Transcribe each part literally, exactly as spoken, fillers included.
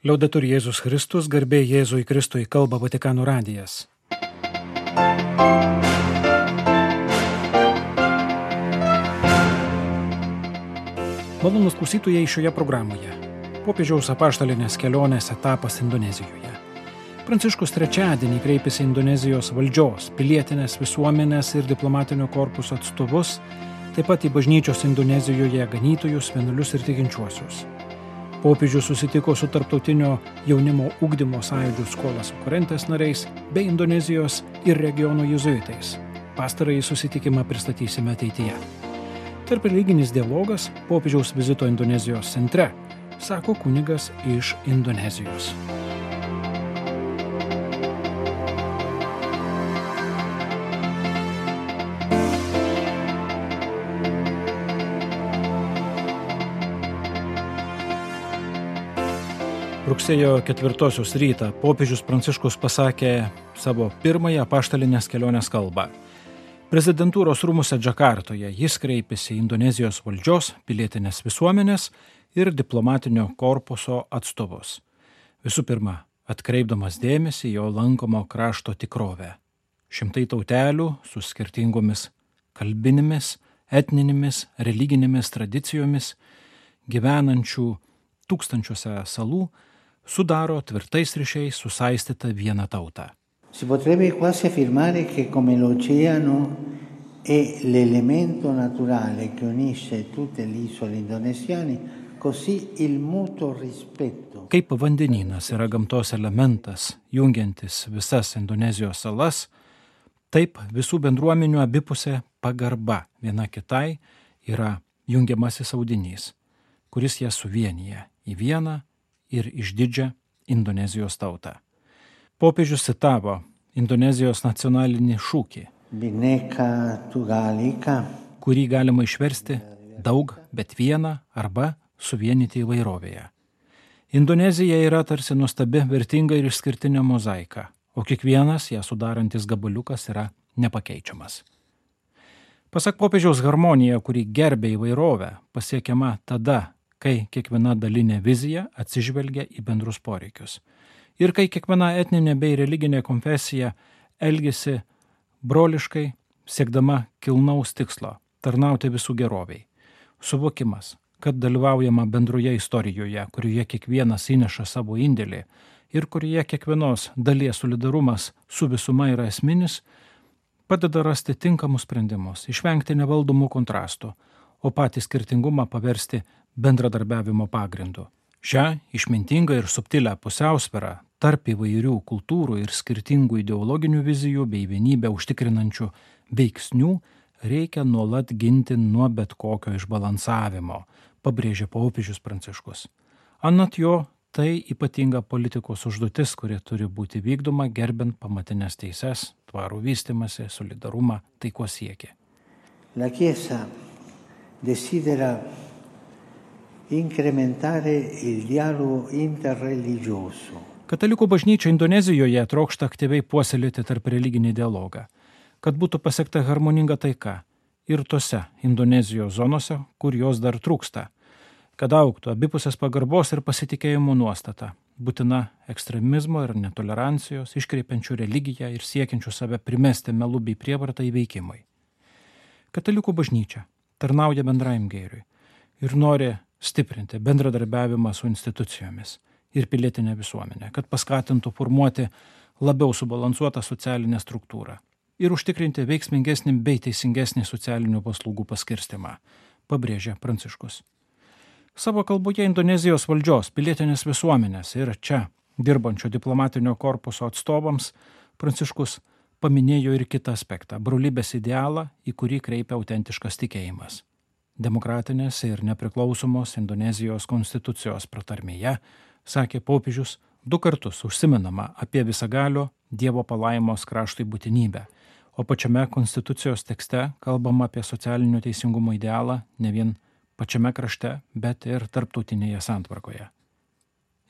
Liaudetur Jėzus Kristus, garbė Jėzui Kristui, kalba Vatikano radijas. Malonūs klausytojai šioje programoje. Popiežiaus apaštalinės kelionės etapas Indonezijoje. Pranciškus trečiadienį kreipėsi Indonezijos valdžios, pilietinės visuomenės ir diplomatinio korpuso atstovus, taip pat į bažnyčios Indonezijoje ganytojus, vienuolius ir tikinčiuosius. Popiežius susitiko su tarptautinio jaunimo ugdymo sąjūdžių Skolas Okurentes nariais bei Indonezijos ir regiono jėzuitais. Pastarąjį susitikimą pristatysime ateityje. Tarp religinis dialogas popiežiaus vizito Indonezijos centre, sako kunigas iš Indonezijos. Rugsėjo ketvirtosios rytą popiežius Pranciškus pasakė savo pirmąją apaštalinės kelionės kalbą. Prezidentūros rūmuose Džakartoje jis kreipėsi į Indonezijos valdžios, pilietinės visuomenės ir diplomatinio korpuso atstovus. Visų pirma, atkreipdamas dėmesį jo lankomo krašto tikrovę. Šimtai tautelių su skirtingomis kalbinėmis, etninėmis, religinėmis tradicijomis, gyvenančių tūkstančiuose salų, sudaro tvirtais ryšiais susaistytą vieną tautą. Si potrebbe quasi affermare che come l'oceano è l'elemento naturale che unisce tutte le isole indonesiane, così il mutuo rispetto. Kaip vandenynas yra gamtos elementas, jungiantis visas Indonezijos salas, taip visų bendruomenių abipusė pagarba viena kitai yra jungiamasis audinys, kuris jas suvienyje į vieną ir išdidžią Indonezijos tautą. Popiežius citavo Indonezijos nacionalinį šūkį, Bhinneka Tunggal-Ika, kurį galima išversti daug, bet vieną arba suvienyti įvairovėje. Indonezija yra tarsi nuostabi, vertinga ir išskirtinė mozaika, o kiekvienas ją sudarantis gabaliukas yra nepakeičiamas. Pasak popiežiaus, harmonija, kuri gerbia įvairovę, pasiekiama tada, kai kiekviena dalinė vizija atsižvelgia į bendrus poreikius. Ir kai kiekviena etninė bei religinė konfesija elgiasi broliškai, siekdama kilnaus tikslo – tarnauti visų geroviai. Suvokimas, kad dalyvaujama bendroje istorijoje, kurioje kiekvienas įneša savo indėlį ir kurioje kiekvienos dalies solidarumas su visuma yra esminis, padeda rasti tinkamus sprendimus, išvengti nevaldomų kontrastų, o patį skirtingumą paversti bendradarbiavimo pagrindu. Šią išmintingą ir subtilę pusiausvyrą tarp įvairių kultūrų ir skirtingų ideologinių vizijų bei vienybę užtikrinančių veiksnių reikia nuolat ginti nuo bet kokio išbalansavimo, pabrėžė popiežius Pranciškus. Anot jo, tai ypatinga politikos užduotis, kuri turi būti vykdoma gerbint pamatinės teises, tvarų vystymąsi, solidarumą, taikos siekį. La Chiesa desidera incrementare il dialogo interreligioso. Katalikų bažnyčia Indonezijoje trokšta aktyviai puoselėti tarp religinį dialogą, kad būtų pasiekta harmoninga taika ir tose Indonezijos zonose, kur jos dar trūksta, kad augtų abipusės pagarbos ir pasitikėjimo nuostata, būtina ekstremizmo ir netolerancijos, iškreipiančių religiją ir siekiančių save primesti melu bei prievartą įveikimui. Katalikų bažnyčia tarnauja bendrajam gėriui ir nori stiprinti bendradarbiavimą su institucijomis ir pilietinę visuomenę, kad paskatintų formuoti labiau subalansuotą socialinę struktūrą ir užtikrinti veiksmingesnį bei teisingesnį socialinių paslaugų paskirstimą, pabrėžė Pranciškus. Savo kalboje Indonezijos valdžios, pilietinės visuomenės ir čia dirbančio diplomatinio korpuso atstovams Pranciškus paminėjo ir kitą aspektą – brolybės idealą, į kurį kreipia autentiškas tikėjimas. Demokratinės ir nepriklausomos Indonezijos konstitucijos pratarmėje, sakė popiežius, du kartus užsimenama apie visagalio Dievo palaimos kraštui būtinybę, o pačiame konstitucijos tekste kalbama apie socialinio teisingumo idealą ne vien pačiame krašte, bet ir tarptautinėje santvarkoje.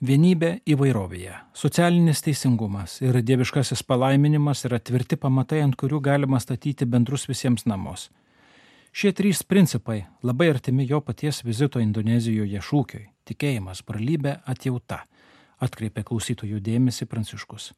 Vienybė įvairovėje, socialinis teisingumas ir dieviškasis palaiminimas yra tvirti pamatai, ant kurių galima statyti bendrus visiems namus. Šie trys principai labai artimi jo paties vizito Indonezijoje šūkiui – tikėjimas, brolybė, atjauta. atkreipė klausytojų dėmesį Pranciškus.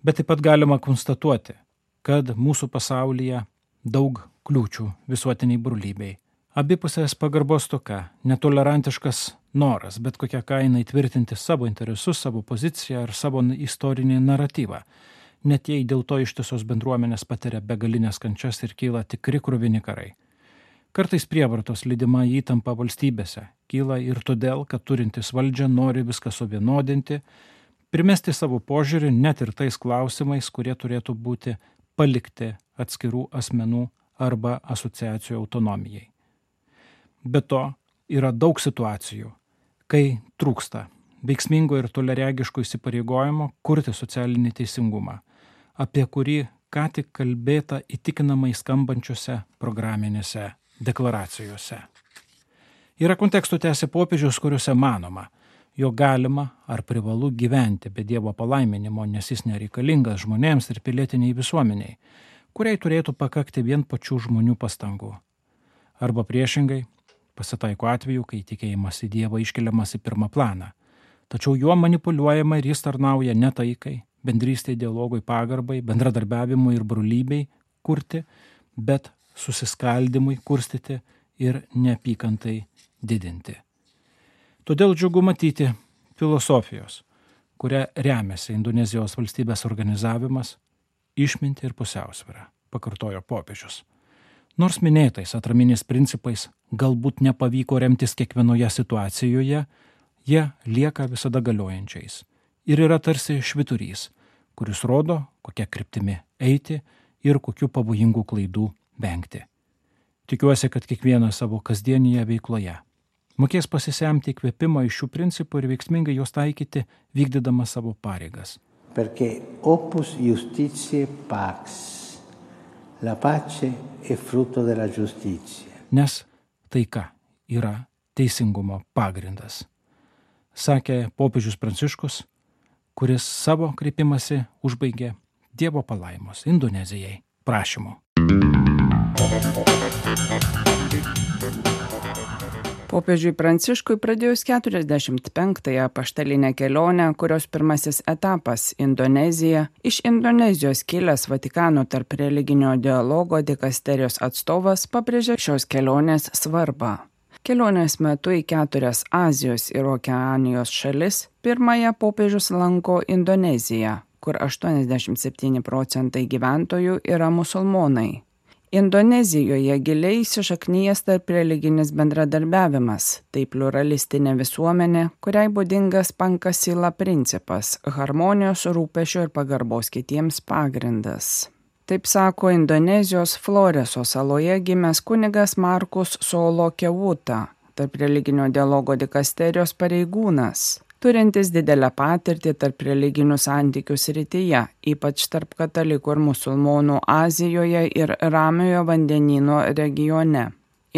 Bet taip pat galima konstatuoti, kad mūsų pasaulyje daug kliūčių visuotiniai brolybei. Abipusės pagarbos stoka, netolerantiškas noras, bet kokią kainą įtvirtinti savo interesus, savo poziciją ar savo istorinį naratyvą. Net jei dėl to ištisos bendruomenės patiria begalinės kančias ir kyla tikri kruvini karai. Kartais prievartos lydima įtampa valstybėse kyla ir todėl, kad turintis valdžią nori viską suvienodinti, primesti savo požiūrį net ir tais klausimais, kurie turėtų būti palikti atskirų asmenų arba asociacijų autonomijai. Be to, yra daug situacijų, kai trūksta veiksmingo ir toleregiško įsipareigojimo kurti socialinį teisingumą, apie kurį ką tik kalbėta įtikinamai skambančiose programinėse deklaracijose. Yra kontekstų tęsia popiežius, kuriuose manoma, jog galima ar privalu gyventi be Dievo palaiminimo, nes jis nereikalingas žmonėms ir pilietiniai visuomeniai, kuriai turėtų pakakti vien pačių žmonių pastangų. Arba priešingai, pasitaiko atveju, kai tikėjimas į Dievą iškeliamas į pirmą planą, tačiau juo manipuliuojama ir jis tarnauja ne taikai, bendrystei, dialogui, pagarbai, bendradarbiavimui ir brolybei kurti, bet susiskaldimui kurstyti ir neapykantai didinti. Todėl džiugu matyti filosofijos, kuria remiasi Indonezijos valstybės organizavimas, išminti ir pusiausvyrą, pakartojo popiežius. Nors minėtais atraminiais principais galbūt nepavyko remtis kiekvienoje situacijoje, jie lieka visada galiojančiais ir yra tarsi švyturys, kuris rodo, kokia kryptimi eiti ir kokių pavojingų klaidų vengti. Tikiuosi, kad kiekvienas savo kasdienėje veikloje mokės pasisemti įkvėpimo iš šių principų ir veiksmingai juos taikyti, vykdydama savo pareigas. Perché opus justitiae pax, la pace è frutto della giustizia. Nes taika yra teisingumo pagrindas, sakė popiežius Pranciškus, kuris savo kreipimąsi užbaigė Dievo palaimos Indonezijai prašymu. Popiežiui Pranciškui pradėjus keturiasdešimt penktąją apaštalinę kelionę, kurios pirmasis etapas Indonezija, iš Indonezijos kilęs Vatikano tarp religinio dialogo dikasterijos atstovas pabrėžė šios kelionės svarbą. Kelionės metu į keturias Azijos ir Okeanijos šalis pirmąją popiežius lanko Indoneziją, kur aštuoniasdešimt septyni procentai gyventojų yra musulmonai. Indonezijoje giliai įsišaknyjęs tarp religinis bendradarbiavimas, tai pluralistinė visuomenė, kuriai būdingas pankasila principas, harmonijos, rūpesčio ir pagarbos kitiems pagrindas. Taip sako Indonezijos Floreso saloje gimęs kunigas Markus Solo Kewuta, tarp religinio dialogo dikasterijos pareigūnas, turintis didelę patirtį tarp religinių santykių srityje, ypač tarp katalikų ir musulmonų Azijoje ir Ramiojo vandenyno regione.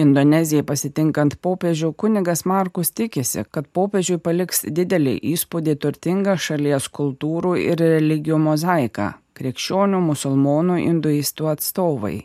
Indonezijai pasitinkant popiežių, kunigas Markus tikisi, kad popiežiui paliks didelį įspūdį turtingą šalies kultūrų ir religijų mozaiką, krikščionių, musulmonų, hinduistų atstovai.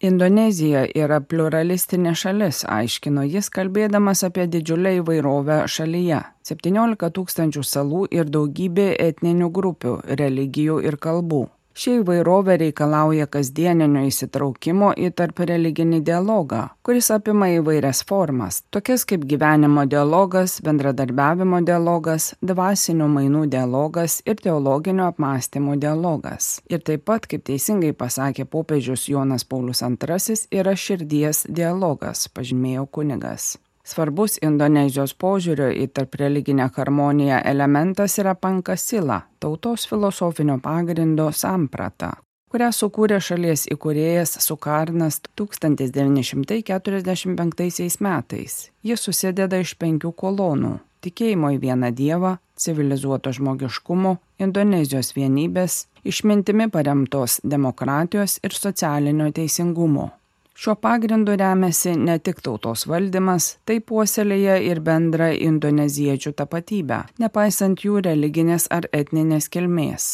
Indonezija yra pluralistinė šalis, aiškino jis, kalbėdamas apie didžiulę įvairovę šalyje. septyniolika tūkstančių salų ir daugybė etninių grupių, religijų ir kalbų. Ši įvairovė reikalauja kasdieninio įsitraukimo į tarp religinį dialogą, kuris apima įvairias formas, tokias kaip gyvenimo dialogas, bendradarbiavimo dialogas, dvasinių mainų dialogas ir teologinio apmąstymo dialogas. Ir taip pat, kaip teisingai pasakė popiežius Jonas Paulius antrasis, yra širdies dialogas, pažymėjo kunigas. Svarbus Indonezijos požiūrio į tarp religinę harmoniją elementas yra pankasila, tautos filosofinio pagrindo samprata, kurią sukūrė šalies įkūrėjas Sukarnas tūkstantis devyni šimtai keturiasdešimt penktaisiais metais. Jis susideda iš penkių kolonų – tikėjimo į vieną dievą, civilizuoto žmogiškumo, Indonezijos vienybės, išmintimi paremtos demokratijos ir socialinio teisingumo. Šiuo pagrindu remiasi ne tik tautos valdymas, tai puoselėja ir bendrą indoneziečių tapatybę, nepaisant jų religinės ar etninės kilmės.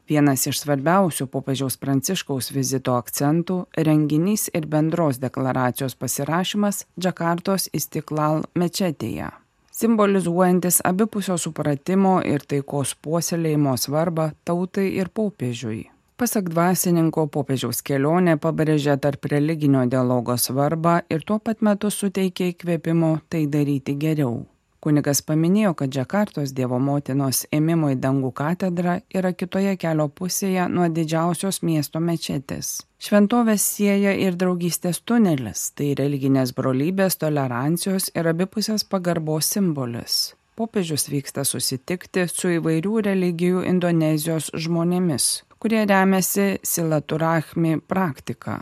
Vienas iš svarbiausių popiežiaus Pranciškaus vizito akcentų – renginys ir bendros deklaracijos pasirašymas Džakartos Istiklal mečetėje. simbolizuojantis abipusio supratimo ir taikos puoselėjimo svarbą tautai ir popiežiui. Pasak dvasininko, popiežiaus kelionė pabrėžia tarp religinio dialogo svarbą ir tuo pat metu suteikia įkvėpimo tai daryti geriau. Kunigas paminėjo, kad Džakartos Dievo motinos ėmimo į dangų katedra yra kitoje kelio pusėje nuo didžiausios miesto mečetės. Šventovės sieja ir draugystės tunelis, tai religinės brolybės, tolerancijos ir abipusės pagarbos simbolis. Popiežius vyksta susitikti su įvairių religijų Indonezijos žmonėmis, kurie remiasi silaturahmi praktika.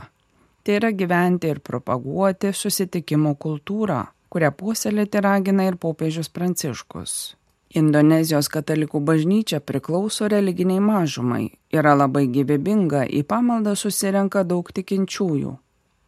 Tai yra gyventi ir propaguoti susitikimo kultūrą, kurią puoselėti ragina ir popiežius Pranciškus. Indonezijos katalikų bažnyčia priklauso religiniai mažumai, yra labai gyvybinga, į pamaldą susirenka daug tikinčiųjų.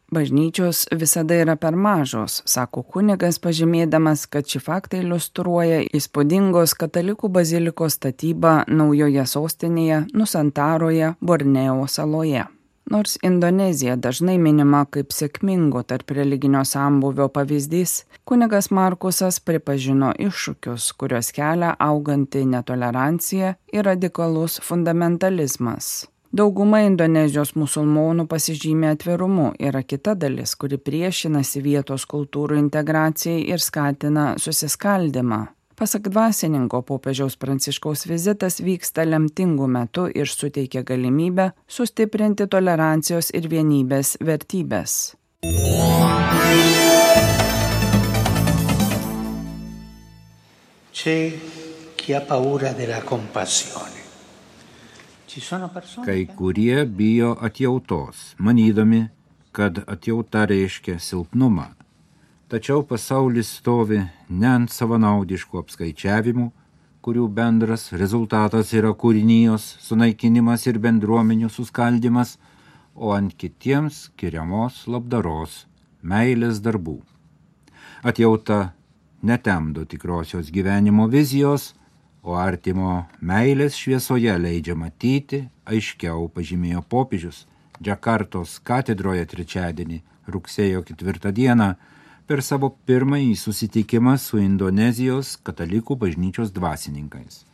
Bažnyčios visada yra per mažos, sako kunigas, pažymėdamas, kad šį faktą iliustruoja įspūdingos katalikų bazilikos statyba naujoje sostinėje Nusantaroje, Borneo saloje. Nors Indonezija dažnai minima kaip sėkmingo tarp religinio sambūvio pavyzdys, kunigas Markusas pripažino iššūkius, kurios kelia auganti netolerancija ir radikalus fundamentalizmas. Dauguma Indonezijos musulmonų pasižymė atvirumu, yra kita dalis, kuri priešinasi vietos kultūrų integracijai ir skatina susiskaldimą. Pasak dvasininko, popiežiaus Pranciškaus vizitas vyksta lemtingu metu ir suteikia galimybę sustiprinti tolerancijos ir vienybės vertybės. C'è chi ha paura della compassione. Kai kurie bijo atjautos, manydami, kad atjauta reiškia silpnumą. Tačiau pasaulis stovi ne ant savanaudiškų apskaičiavimų, kurių bendras rezultatas yra kūrinijos sunaikinimas ir bendruomenių suskaldimas, o ant kitiems skiriamos labdaros, meilės darbų. Atjauta netemdo tikrosios gyvenimo vizijos, o artimo meilės šviesoje leidžia matyti, aiškiau pažymėjo popiežius Džakartos katedroje trečiadienį, rugsėjo ketvirtą dieną, per savo pirmąjį susitikimą su Indonezijos katalikų bažnyčios dvasininkais.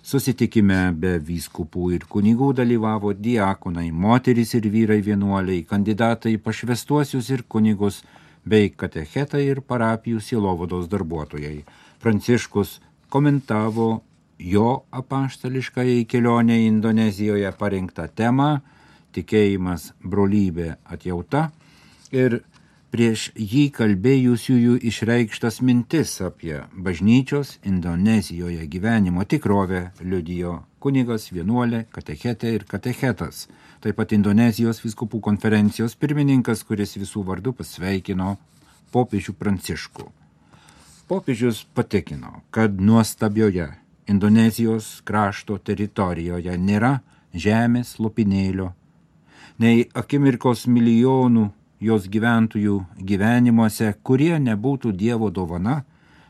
Susitikime be vyskupų ir kunigų dalyvavo diakonai, moterys ir vyrai vienuoliai, kandidatai pašvestuosius ir kunigus, bei katechetai ir parapijų sielovados darbuotojai. Pranciškus komentavo jo apaštališkąjai kelionė Indonezijoje parinktą temą tikėjimas, brolybė, atjauta ir prieš jį kalbėjusiųjų išreikštas mintis apie bažnyčios Indonezijoje gyvenimo tikrovę liudijo kunigas, vienuolė, katechetė ir katechetas, taip pat Indonezijos vyskupų konferencijos pirmininkas, kuris visų vardu pasveikino popiežių Pranciškų. Popiežius patikino, kad nuostabioje Indonezijos krašto teritorijoje nėra žemės lopinėlio, nei akimirkos milijonų jos gyventojų gyvenimuose, kurie nebūtų Dievo dovana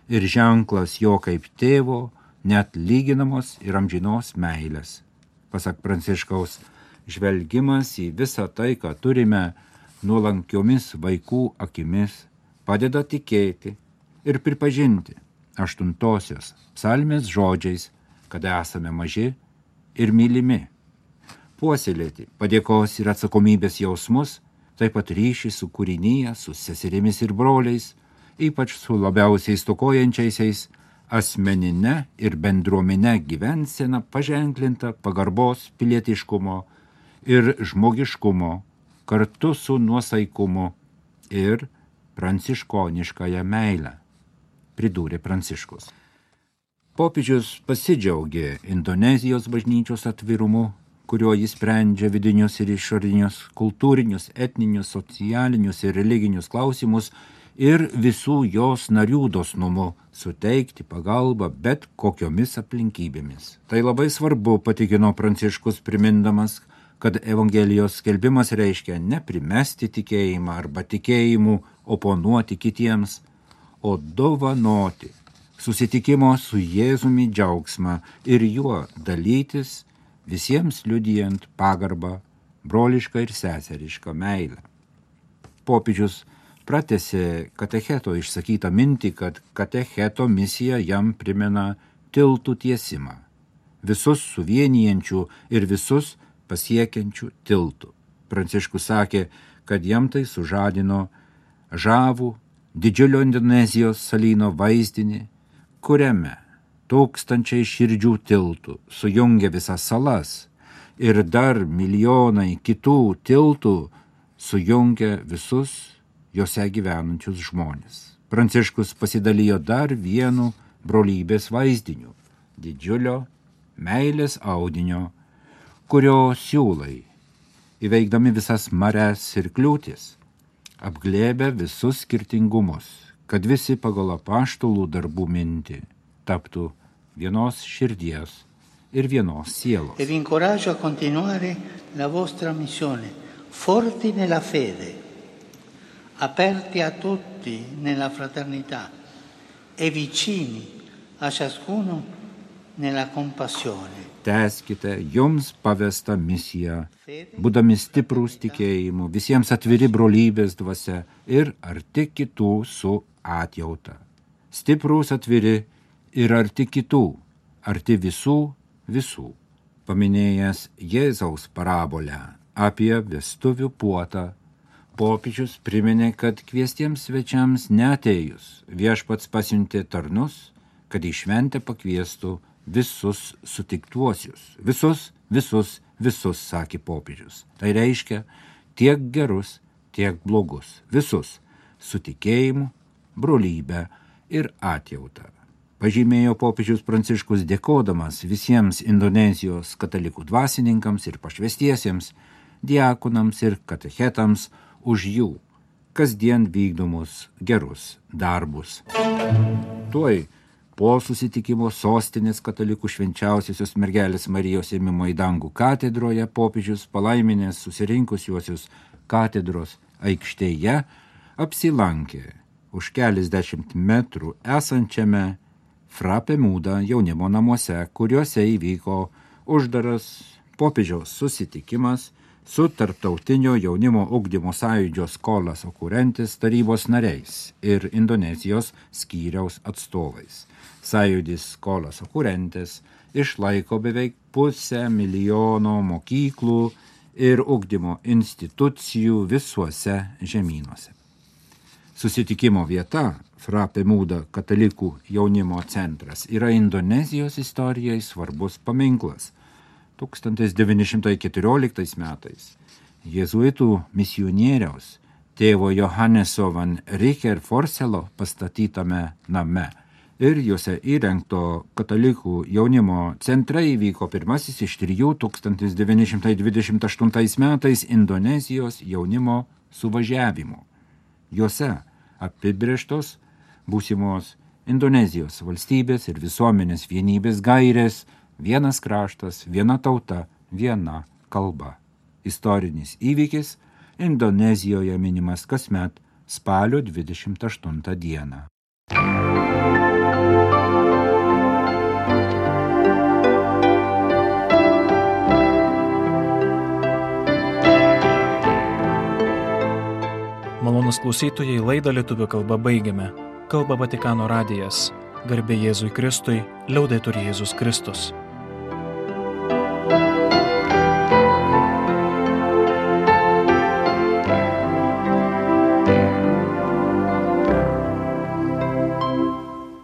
ir ženklas jo kaip tėvo, net lyginamos ir amžinos meilės. Pasak Pranciškaus, žvelgimas į visą tai, ką turime, nuolankiomis vaikų akimis, padeda tikėti ir pripažinti aštuntosios psalmės žodžiais, kad esame maži ir mylimi. Puoselėti padėkos ir atsakomybės jausmus, taip pat ryšį su kūrinyje, su seserimis ir broliais, ypač su labiausiai stokojančiaisiais, asmeninė ir bendruomenė gyvensena paženklinta pagarbos, pilietiškumo ir žmogiškumo, kartu su nuosaikumu ir pranciškoniškąją meilę, pridūrė Pranciškus. Popiežius pasidžiaugė Indonezijos bažnyčios atvirumu, kuriuo jis sprendžia vidinius ir išorinius, kultūrinius, etninius, socialinius ir religinius klausimus ir visų jos narių dosnumu suteikti pagalbą bet kokiomis aplinkybėmis. Tai labai svarbu, patikino Pranciškus, primindamas, kad Evangelijos skelbimas reiškia ne primesti tikėjimą arba tikėjimu oponuoti kitiems, o dovanoti susitikimo su Jėzumi džiaugsmą ir juo dalytis, visiems liudijant pagarbą, brolišką ir seserišką meilę. Popiežius pratęsė katecheto išsakytą mintį, kad katecheto misija jam primena tiltų tiesimą, visus suvienijančių ir visus pasiekiančių tiltų. Pranciškus sakė, kad jam tai sužadino žavų didžiulio Indonezijos salyno vaizdinį, kuriame tūkstančiai širdžių tiltų sujungia visas salas ir dar milijonai kitų tiltų sujungia visus jose gyvenančius žmonės. Pranciškus pasidalijo dar vienu brolybės vaizdiniu, didžiulio meilės audinio, kurio siūlai, įveikdami visas mares ir kliūtis, apglėbė visus skirtingumus, kad visi pagal apaštalų darbų mintį taptų vienos širdies ir vienos sielos. E vi incoraggio a continuare la vostra missione, forti nella fede, aperti a tutti nella fraternità e vicini a ciascuno nella compassione. Tęskite jums pavestą misiją, būdami stiprūs tikėjimu, visiems atviri brolybės dvasia ir arti kitų su atjauta. Stiprūs atviri ir arti kitų, arti visų visų. Paminėjęs Jėzaus parabolę apie vestuvių puotą, popiežius priminė, kad kviestiems svečiams neatėjus viešpats pasiuntė tarnus, kad į šventę pakviestų visus sutiktuosius. Visus, visus, visus, sakė popiežius. Tai reiškia tiek gerus, tiek blogus. Visus, su tikėjimu, brolybę ir atjautą. Pažymėjo popiežius Pranciškus dėkodamas visiems Indonezijos katalikų dvasininkams ir pašvestiesiems, diakonams ir katechetams už jų kasdien vykdomus gerus darbus. Tuoj po susitikimo sostinės katalikų švenčiausiosios mergelės Marijos ėmimo į dangų katedroje popiežius palaiminės susirinkusiuosius katedros aikštėje apsilankė už keliasdešimt metrų esančiame Frape Muda jaunimo namuose, kuriuose įvyko uždaras popiežiaus susitikimas su Tarptautinio jaunimo ugdymo sąjūdžio Skolas Okurentes tarybos nariais ir Indonezijos skyriaus atstovais. Sąjūdis Skolas Okurentes išlaiko beveik pusę milijono mokyklų ir ugdymo institucijų visuose žemynuose. Susitikimo vieta Frape Muda katalikų jaunimo centras yra Indonezijos istorijai svarbus paminklas. tūkstantis devyni šimtai keturioliktais metais jėzuitų misionieriaus tėvo Johanneso van Richer Forselo pastatytame name ir juose įrengto katalikų jaunimo centre įvyko pirmasis iš trijų tūkstantis devyni šimtai dvidešimt aštuntais metais Indonezijos jaunimo suvažiavimų. Juose apibrėžtos būsimos Indonezijos valstybės ir visuomenės vienybės gairės, vienas kraštas, viena tauta, viena kalba. Istorinis įvykis Indonezijoje minimas kasmet spalio dvidešimt aštuntą dieną. Malonūs klausytojai, laidą lietuvių kalba baigiame. Kalba Vatikano radijas. Garbė Jėzui Kristui, liaudetur Jėzus Kristus.